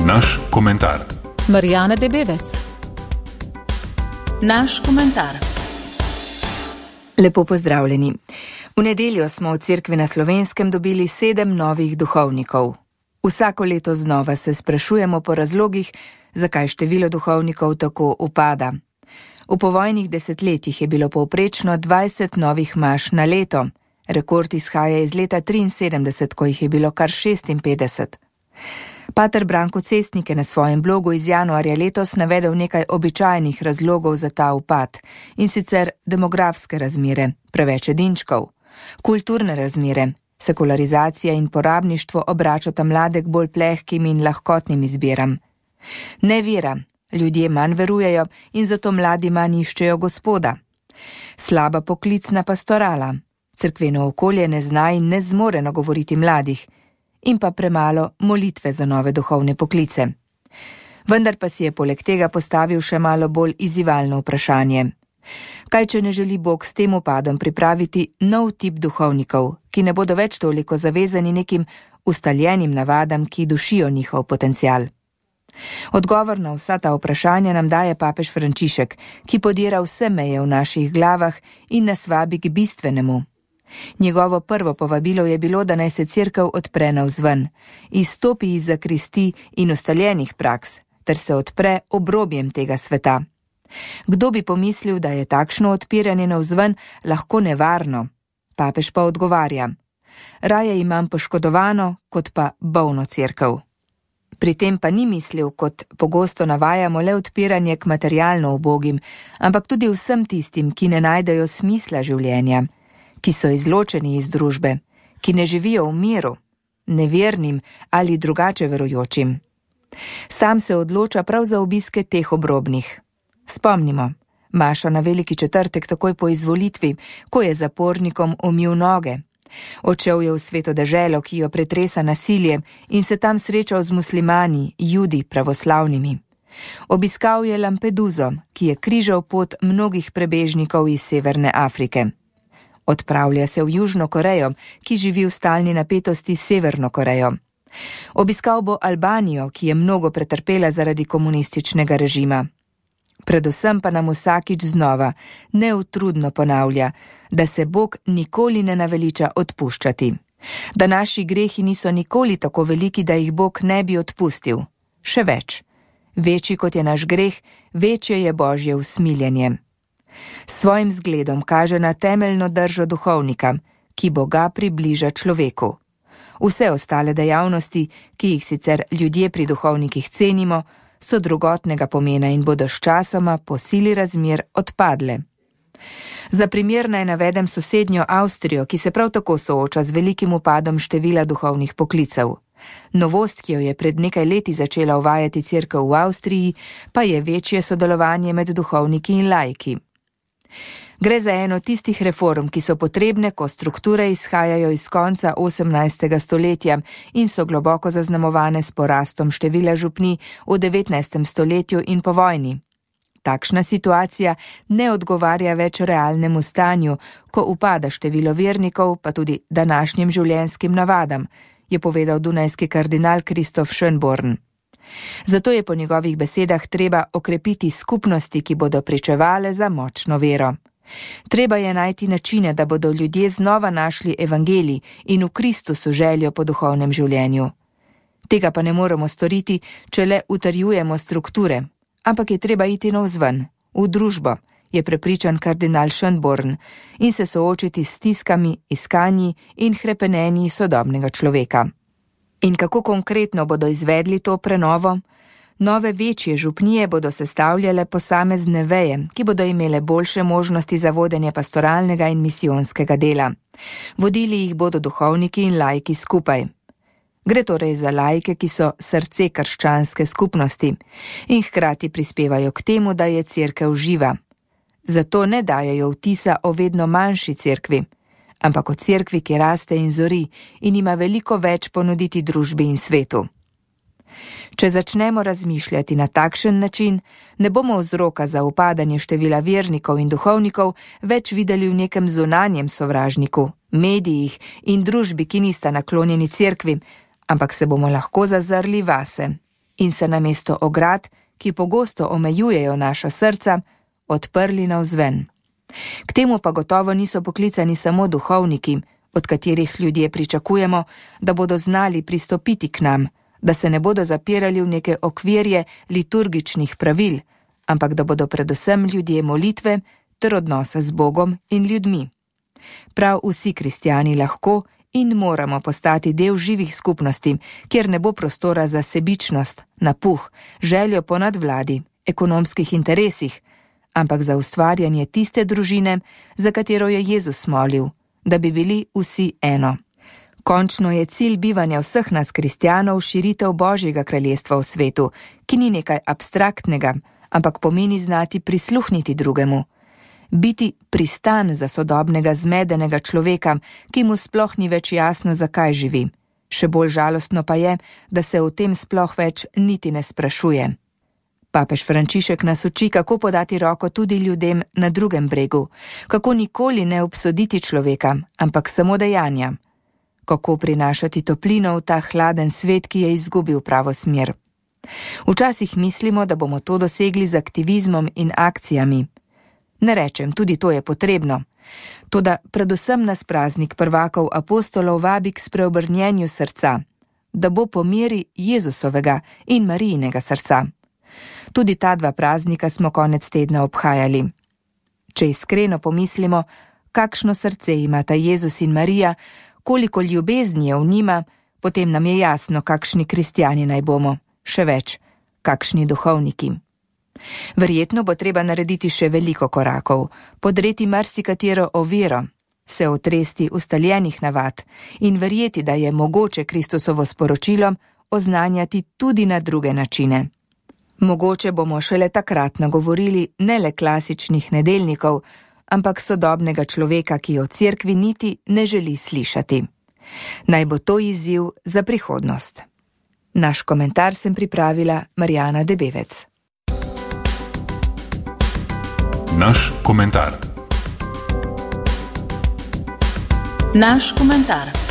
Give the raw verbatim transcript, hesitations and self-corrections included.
Naš komentar. Marijana Debevec. Naš komentar. Lepo pozdravljeni. V nedeljo smo v Cerkvi na Slovenskem dobili sedem novih duhovnikov. Vsako leto znova se sprašujemo po razlogih, zakaj število duhovnikov tako upada. V povojnih desetletjih je bilo povprečno dvajset novih maš na leto. Rekord izhaja iz leta triinsedemdeset, ko jih je bilo kar šestinpetdeset. Pater Branko Cestnik je na svojem blogu iz januarja letos navedel nekaj običajnih razlogov za ta upad, in sicer demografske razmere, preveč edinčkov, kulturne razmere, sekularizacija in porabništvo obračata mlade k bolj plehkim in lahkotnim izbiram. Nevera, ljudje manj verujejo in zato mladi manj iščejo Gospoda. Slaba poklicna pastorala, cerkveno okolje ne zna in ne zmore nagovoriti mladih, in pa premalo molitve za nove duhovne poklice. Vendar pa si je poleg tega postavil še malo bolj izzivalno vprašanje. Kaj, če ne želi Bog s tem upadom pripraviti nov tip duhovnikov, ki ne bodo več toliko zavezani nekim ustaljenim navadam, ki dušijo njihov potencial? Odgovor na vsa ta vprašanja nam daje papež Frančišek, ki podira vse meje v naših glavah in nas vabi k bistvenemu. Njegovo prvo povabilo je bilo, da naj se cerkev odpre navzven, izstopi iz zakristi in ustaljenih praks, ter se odpre obrobjem tega sveta. Kdo bi pomislil, da je takšno odpiranje navzven lahko nevarno? Papež pa odgovarja: raje imam poškodovano, kot pa bolno cerkev. Pri tem pa ni mislil, kot pogosto navajamo, le odpiranje k materialno ubogim, ampak tudi vsem tistim, ki ne najdejo smisla življenja, ki so izločeni iz družbe, ki ne živijo v miru, nevernim ali drugače verujočim. Sam se odloča prav za obiske teh obrobnih. Spomnimo, maša na veliki četrtek takoj po izvolitvi, ko je zapornikom umil noge. Odšel je v sveto deželo, ki jo pretresa nasilje, in se tam srečal z muslimani, judi, pravoslavnimi. Obiskal je Lampeduzo, ki je križal pot mnogih prebežnikov iz Severne Afrike. Odpravlja se v Južno Korejo, ki živi v stalni napetosti s Severno Korejo. Obiskal bo Albanijo, ki je mnogo pretrpela zaradi komunističnega režima. Predvsem pa nam vsakič znova neutrudno ponavlja, da se Bog nikoli ne naveliča odpuščati. Da naši grehi niso nikoli tako veliki, da jih Bog ne bi odpustil. Še več. Večji kot je naš greh, večje je Božje usmiljenje. Svojim zgledom kaže na temeljno držo duhovnika, ki Boga približa človeku. Vse ostale dejavnosti, ki jih sicer ljudje pri duhovnikih cenimo, so drugotnega pomena in bodo sčasoma po sili razmer odpadle. Za primer naj navedem sosednjo Avstrijo, ki se prav tako sooča z velikim upadom števila duhovnih poklicev. Novost, ki jo je pred nekaj leti začela uvajati cerkev v Avstriji, pa je večje sodelovanje med duhovniki in laiki. Gre za eno tistih reform, ki so potrebne, ko strukture izhajajo iz konca osemnajstega stoletja in so globoko zaznamovane s porastom števila župnij v devetnajstem stoletju in po vojni. Takšna situacija ne odgovarja več realnemu stanju, ko upada število vernikov, pa tudi današnjim življenjskim navadam, je povedal dunajski kardinal Kristof Schönborn. Zato je po njegovih besedah treba okrepiti skupnosti, ki bodo pričevale za močno vero. Treba je najti načine, da bodo ljudje znova našli evangelij in v Kristusu željo po duhovnem življenju. Tega pa ne moremo storiti, če le utrjujemo strukture, ampak je treba iti navzven, v družbo, je prepričan kardinal Schönborn, in se soočiti s stiskami, iskanji in hrepenenji sodobnega človeka. In kako konkretno bodo izvedli to prenovo? Nove večje župnije bodo sestavljale posamezne veje, ki bodo imele boljše možnosti za vodenje pastoralnega in misijonskega dela. Vodili jih bodo duhovniki in laiki skupaj. Gre torej za laike, ki so srce krščanske skupnosti in hkrati prispevajo k temu, da je cerkev živa. Zato ne dajejo vtisa o vedno manjši cerkvi, ampak o cerkvi, ki raste in zori in ima veliko več ponuditi družbi in svetu. Če začnemo razmišljati na takšen način, ne bomo vzroka za upadanje števila vernikov in duhovnikov več videli v nekem zunanjem sovražniku, medijih in družbi, ki nista naklonjeni cerkvi, ampak se bomo lahko zazrli vase. in se namesto ograd, ki pogosto omejujejo naša srca, odprli navzven. K temu pa gotovo niso poklicani samo duhovniki, od katerih ljudje pričakujemo, da bodo znali pristopiti k nam, da se ne bodo zapirali v neke okvirje liturgičnih pravil, ampak da bodo predvsem ljudje molitve ter odnosa z Bogom in ljudmi. Prav vsi kristjani lahko in moramo postati del živih skupnosti, kjer ne bo prostora za sebičnost, napuh, željo po nadvladi, ekonomskih interesih, ampak za ustvarjanje tiste družine, za katero je Jezus molil, da bi bili vsi eno. Končno je cilj bivanja vseh nas kristjanov širitev Božjega kraljestva v svetu, ki ni nekaj abstraktnega, ampak pomeni znati prisluhniti drugemu. Biti pristan za sodobnega zmedenega človeka, ki mu sploh ni več jasno, zakaj živi. Še bolj žalostno pa je, da se o tem sploh več niti ne sprašuje. Papež Frančišek nas uči, kako podati roko tudi ljudem na drugem bregu, kako nikoli ne obsoditi človeka, ampak samo dejanja. Kako prinašati toplino v ta hladen svet, ki je izgubil pravo smer. Včasih mislimo, da bomo to dosegli z aktivizmom in akcijami. Ne rečem, tudi to je potrebno. Toda predvsem nas praznik prvakov apostolov vabi k spreobrnjenju srca, da bo po meri Jezusovega in Marijinega srca. Tudi ta dva praznika smo konec tedna obhajali. Če iskreno pomislimo, kakšno srce imata Jezus in Marija, koliko ljubezni je v njima, potem nam je jasno, kakšni kristjani naj bomo, še več, kakšni duhovniki. Verjetno bo treba narediti še veliko korakov, podreti marsikatero oviro, se otresti ustaljenih navad in verjeti, da je mogoče Kristusovo sporočilo oznanjati tudi na druge načine. Mogoče bomo šele takrat nagovorili ne le klasičnih nedeljnikov, ampak sodobnega človeka, ki o cerkvi niti ne želi slišati. Naj bo to izziv za prihodnost. Naš komentar sem pripravila Marijana Debevec. Naš komentar. Naš komentar.